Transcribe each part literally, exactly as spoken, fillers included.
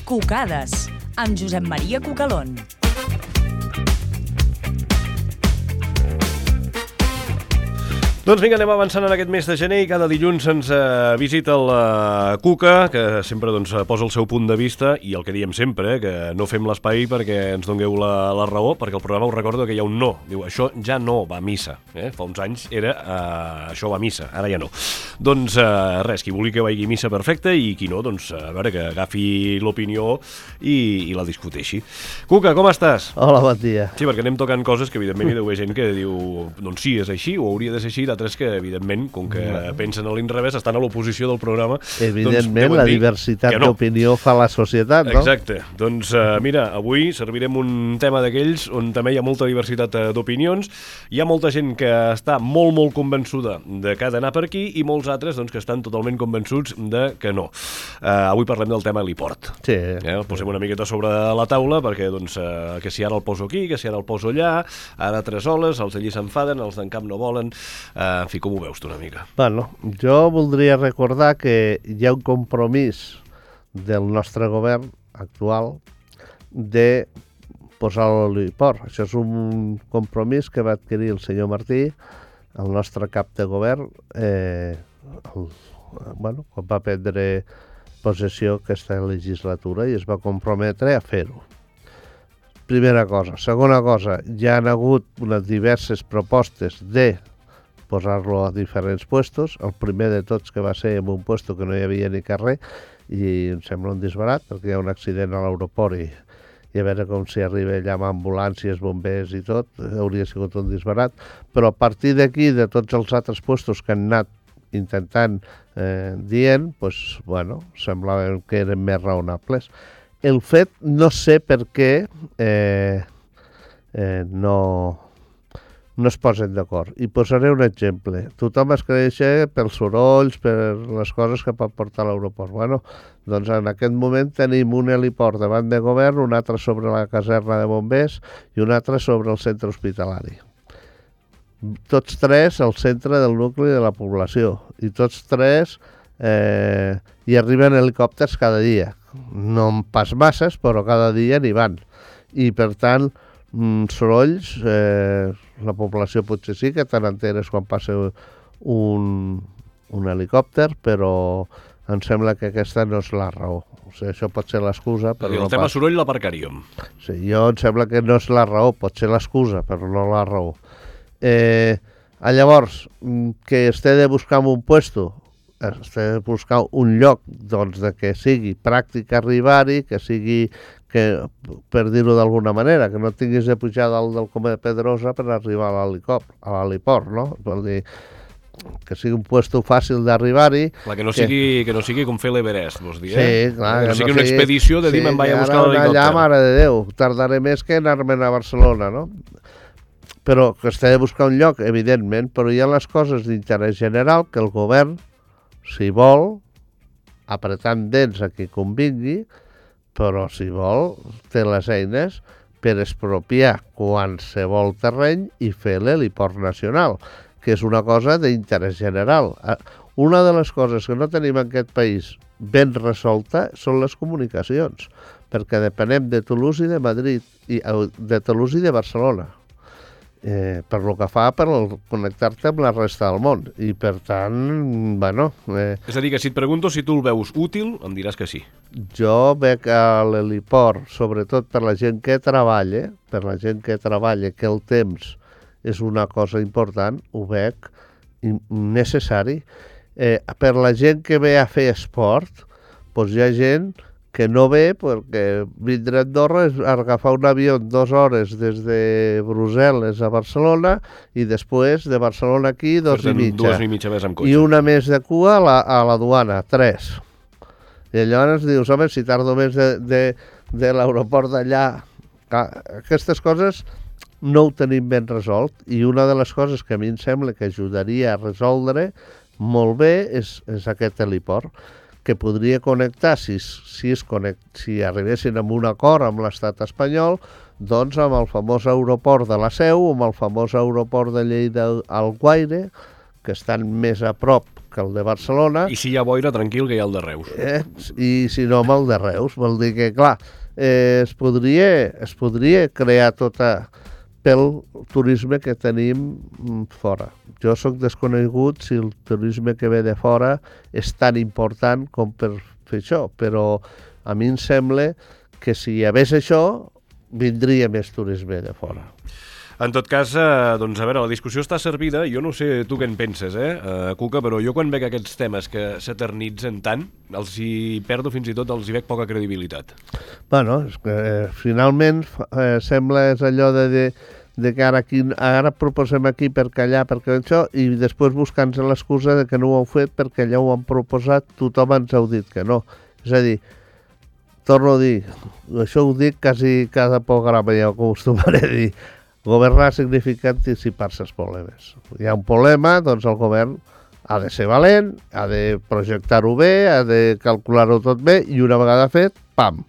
Cucades, amb Josep Maria Cucalón. Doncs vinga, anem avançant en aquest mes de gener i cada dilluns ens uh, visita el uh, Cuca, que sempre doncs, posa el seu punt de vista i el que diem sempre, eh, que no fem l'espai perquè ens dongueu la, la raó, perquè el programa us recordo que hi ha un no. Diu, això ja no va a missa. Eh? Fa uns anys era uh, això va a missa, ara ja no. Doncs uh, res, qui vulgui que vagi a missa perfecte i qui no, doncs a veure, que agafi l'opinió i, i la discuteixi. Cuca, com estàs? Hola, bon dia. Sí, perquè anem tocant coses que evidentment hi deu haver gent que diu doncs sí, és així, o hauria de ser així, d'altres que, evidentment, com que bueno. pensen a l'inrevés, estan a l'oposició del programa. Evidentment, doncs, la diversitat no. d'opinió fa la societat, no? Exacte. Doncs, uh, mira, avui servirem un tema d'aquells on també hi ha molta diversitat uh, d'opinions. Hi ha molta gent que està molt, molt convençuda de que ha d'anar per aquí i molts altres doncs, que estan totalment convençuts de que no. Uh, avui parlem del tema heliport. Sí. Eh? El posem una miqueta sobre la taula perquè, doncs, uh, que si ara el poso aquí, que si ara el poso allà, ara tres oles, els d'allí s'enfaden, els d'en Camp no volen... Uh, en fi, com ho veus tu una mica? Bueno, jo voldria recordar que hi ha un compromís del nostre govern actual de posar l'heliport. Això és un compromís que va adquirir el senyor Martí, el nostre cap de govern, eh, el, bueno, quan va prendre possessió aquesta legislatura i es va comprometre a fer-ho. Primera cosa. Segona cosa, hi ha hagut unes diverses propostes de posar-lo a diferents puestos. El primer de tots que va ser en un puesto que no hi havia ni carrer i em sembla un disbarat perquè hi ha un accident a l'aeroport i, i a veure com si arriba allà amb ambulàncies, bombers i tot, hauria sigut un disbarat. Però a partir d'aquí, de tots els altres puestos que han anat intentant eh, dient, doncs, bueno, semblava que eren més raonables. El fet, no sé per què eh, eh, no... no es posen d'acord. I posaré un exemple. Tothom es creix pels sorolls, per les coses que pot portar a l'aeroport. Bueno, doncs en aquest moment tenim un heliport davant de govern, un altre sobre la caserna de bombers i un altre sobre el centre hospitalari. Tots tres al centre del nucli de la població. I tots tres eh, hi arriben helicòpters cada dia. No pas masses, però cada dia n'hi van. I per tant, mm, sorolls... Eh, la població potser sí que te n'enteres quan passa un, un helicòpter, però em sembla que aquesta no és la raó. O sigui, això pot ser l'excusa, però el no tema pas. soroll l'aparcaríem. Sí, jo em sembla que no és la raó, pot ser l'excusa, però no la raó. Eh, llavors, que es té de buscar en un puesto, es té de buscar un lloc doncs, de que sigui pràctic arribar-hi, que sigui, que, per dir-ho d'alguna manera, que no tinguis de pujar dalt del Coma de Pedrosa per arribar a l'heliport, no? Vol dir, que sigui un puesto fàcil d'arribar-hi. Clar, que no sigui, que... que no sigui com fer l'Everest, vols dir, eh? Sí, clar. Que no sigui una expedició de dir me'n vaig a buscar l'helicòpter. Allà, mare de Déu, tardaré més que anar-me'n a Barcelona, no? Però que es té de buscar un lloc, evidentment, però hi ha les coses d'interès general que el govern, si vol, apretant dents a qui convingui, però si vol, té les eines per expropiar qualsevol terreny i fer l'heliport nacional, que és una cosa d'interès general. Una de les coses que no tenim en aquest país ben resolta són les comunicacions, perquè depenem de Toulouse i de Madrid, i de Toulouse i de Barcelona. Eh, per lo que fa per connectar-te amb la resta del món. I per tant, bueno... Eh, és a dir, que si et pregunto si tu el veus útil, em diràs que sí. Jo veig a l'heliport, sobretot per la gent que treballa, per la gent que treballa, que el temps és una cosa important, ho veig necessari. Eh, per la gent que ve a fer esport, doncs hi ha gent que no ve perquè vindre a Andorra és agafar un avió dues hores des de Brussel·les a Barcelona i després de Barcelona aquí dos i mitja. Dues i mitja més amb cotxe. I una més de cua a la, a la duana, tres. I llavors dius, home, si tardo més de, de, de l'aeroport d'allà... Aquestes coses no ho tenim ben resolt i una de les coses que a mi em sembla que ajudaria a resoldre molt bé és, és aquest heliport, que podria connectar, si, si, es connect, si arribessin amb un acord amb l'estat espanyol, doncs amb el famós aeroport de la Seu, amb el famós aeroport de Lleida al Guaire, que estan més a prop que el de Barcelona. I si hi ha boira, tranquil, que hi ha el de Reus. Eh? I si no, amb el de Reus. Vol dir que, clar, eh, es, podria, es podria crear tota pel turisme que tenim fora. Jo sóc desconegut si el turisme que ve de fora és tan important com per fer això, però a mi em sembla que si hi hagués això, vindria més turisme de fora. En tot cas, eh, doncs, a veure, la discussió està servida. Jo no sé tu què en penses, eh, uh, Cuca, però jo quan veig aquests temes que s'eternitzen tant, els hi perdo fins i tot, els hi veig poca credibilitat. Bueno, és que eh, finalment eh, sembla és allò de, de, de que ara, aquí, ara proposem aquí perquè allà, perquè això, i després buscant-se l'excusa de que no ho heu fet perquè allà ho han proposat, tothom ens heu dit que no. És a dir, torno a dir, això ho dic quasi cada programa, ja ho acostumaré a dir, governar significa anticipar-se als problemes. Hi ha un problema, doncs el govern ha de ser valent, ha de projectar-ho bé, ha de calcular-ho tot bé, i una vegada fet, pam,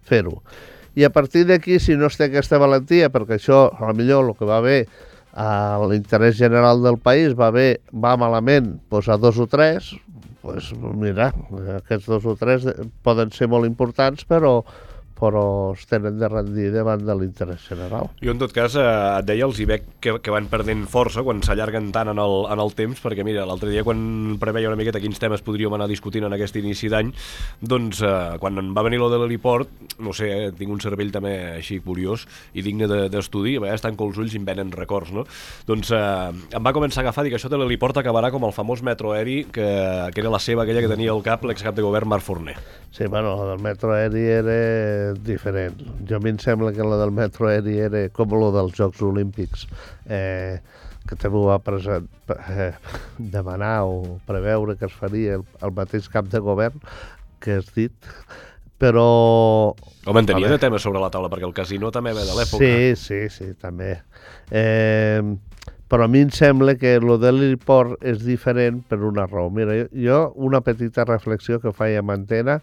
fer-ho. I a partir d'aquí, si no es té aquesta valentia, perquè això, a millor el que va bé a l'interès general del país va bé, va malament, doncs a dos o tres, doncs mira, aquests dos o tres poden ser molt importants, però però es tenen de rendir davant de l'interès general. Jo, en tot cas, eh, et deia, els hi veig que, que van perdent força quan s'allarguen tant en el, en el temps, perquè, mira, l'altre dia, quan preveia una miqueta quins temes podríem anar discutint en aquest inici d'any, doncs, eh, quan va venir lo de l'heliport, no sé, eh, tinc un cervell també així curiós i digne d'estudi, de, a vegades tanco els ulls i em venen records, no? Doncs eh, em va començar a agafar, dic, això de l'heliport acabarà com el famós metro aeri, que, que era la seva, aquella que tenia al cap l'excap de govern Marc Forner. Sí, bueno, la del metro aeri era diferent. Jo a mi em sembla que la del metro aeri era com la dels Jocs Olímpics, eh, que també ho va present, eh, demanar o preveure que es faria el, el mateix cap de govern que has dit, però... Home, en tenia de temes sobre la taula, perquè el casino també ve de l'època. Sí, sí, sí, també. Eh, però a mi em sembla que el de l'heliport és diferent per una raó. Mira, jo una petita reflexió que faig a Antena,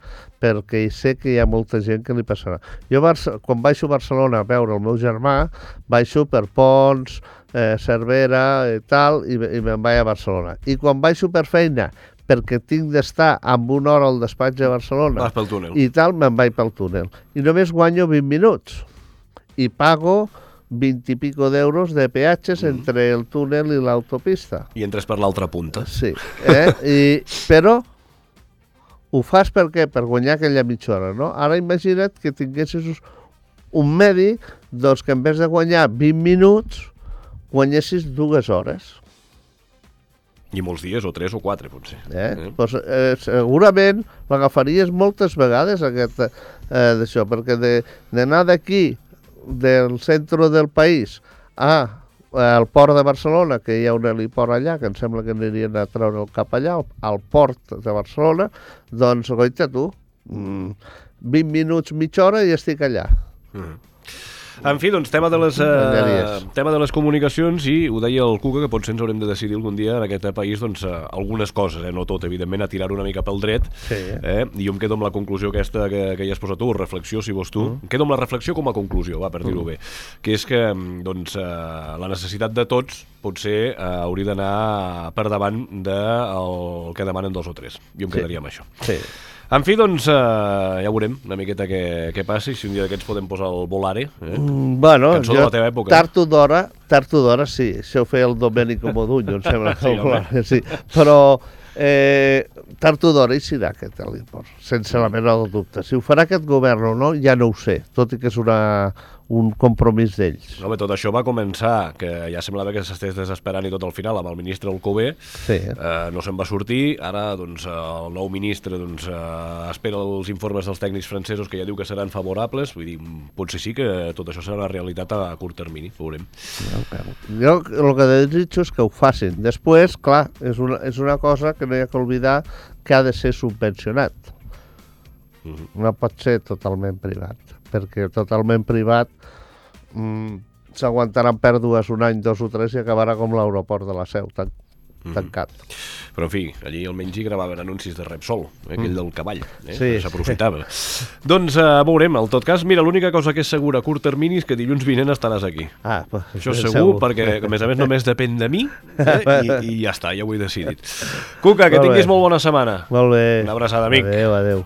perquè sé que hi ha molta gent que li passarà. Jo, quan baixo a Barcelona a veure el meu germà, baixo per Pons, eh, Cervera i tal, i, i me'n vaig a Barcelona. I quan baixo per feina, perquè tinc d'estar amb una hora al despatx de Barcelona, vas pel túnel. I tal, me'n vaig pel túnel. I només guanyo vint minuts. I pago vint i pico d'euros de peatges mm. entre el túnel i l'autopista. I entres per l'altra punta. Sí, eh? I, però ho fas per què? Per guanyar aquella mitja hora, no? Ara imagina't que tinguessis un medi, doncs que en vez de guanyar vint minuts, guanyessis dues hores. I molts dies, o tres o quatre, potser. Eh? Eh? Pues, eh, segurament l'agafaries moltes vegades, aquest, eh, d'això, perquè d'anar de, d'aquí, del centre del país a, al port de Barcelona, que hi ha un heliport allà, que em sembla que anirien a treure el cap allà, al, al port de Barcelona, doncs, goita tu, mm, vint minuts, mitja hora i estic allà. Mm. En fi, doncs, tema de les, eh, tema de les comunicacions, i ho deia el Cuca, que potser ens haurem de decidir algun dia en aquest país, doncs, eh, algunes coses, eh, no tot, evidentment, a tirar una mica pel dret, sí. eh? I jo em quedo amb la conclusió aquesta que, que hi has posat tu, reflexió, si vols tu, mm. em quedo amb la reflexió com a conclusió, va, per dir-ho mm. bé, que és que, doncs, eh, la necessitat de tots potser eh, hauria d'anar per davant del que demanen dos o tres. Jo em sí. quedaria amb això. Sí. En fi, doncs, eh, ja veurem una miqueta què, què passi, si un dia d'aquests podem posar el Volare. Eh? Mm, bueno, cançó jo, de la teva època. Tard o d'hora, tard o d'hora sí, això ho feia el Domènico Modugno, em sembla que sí, el Volare, sí. Però eh, tard o d'hora hi serà aquest heliport, sense la mena de dubte. Si ho farà aquest govern o no, ja no ho sé, tot i que és una, un compromís d'ells. No, bé, tot això va començar, que ja semblava que s'estés desesperant i tot al final, amb el ministre Alcover, sí. eh, no se'n va sortir, ara doncs, el nou ministre doncs, eh, espera els informes dels tècnics francesos, que ja diu que seran favorables, vull dir, potser sí que tot això serà una realitat a curt termini, veurem. Jo el que desitjo és que ho facin. Després, clar, és una, és una cosa que no hi ha que oblidar, que ha de ser subvencionat. Mm-hmm. No pot ser totalment privat, perquè totalment privat mm, s'aguantaran pèrdues un any, dos o tres i acabarà com l'aeroport de la Seu, tan, tancat. Mm-hmm. Però, en fi, allí almenys hi gravaven anuncis de Repsol, eh, aquell del cavall, eh? Sí. S'aprofitava. Doncs uh, veurem, en tot cas, mira, l'única cosa que és segura a curt termini és que dilluns vinent estaràs aquí. Ah, pues, Això és segur, segur, perquè, a més a més, només depèn de mi, eh? I, i ja està, ja ho he decidit. Cuca, que molt tinguis bé. molt bona setmana. Molt bé. Una abraçada, amic. Adéu, adéu.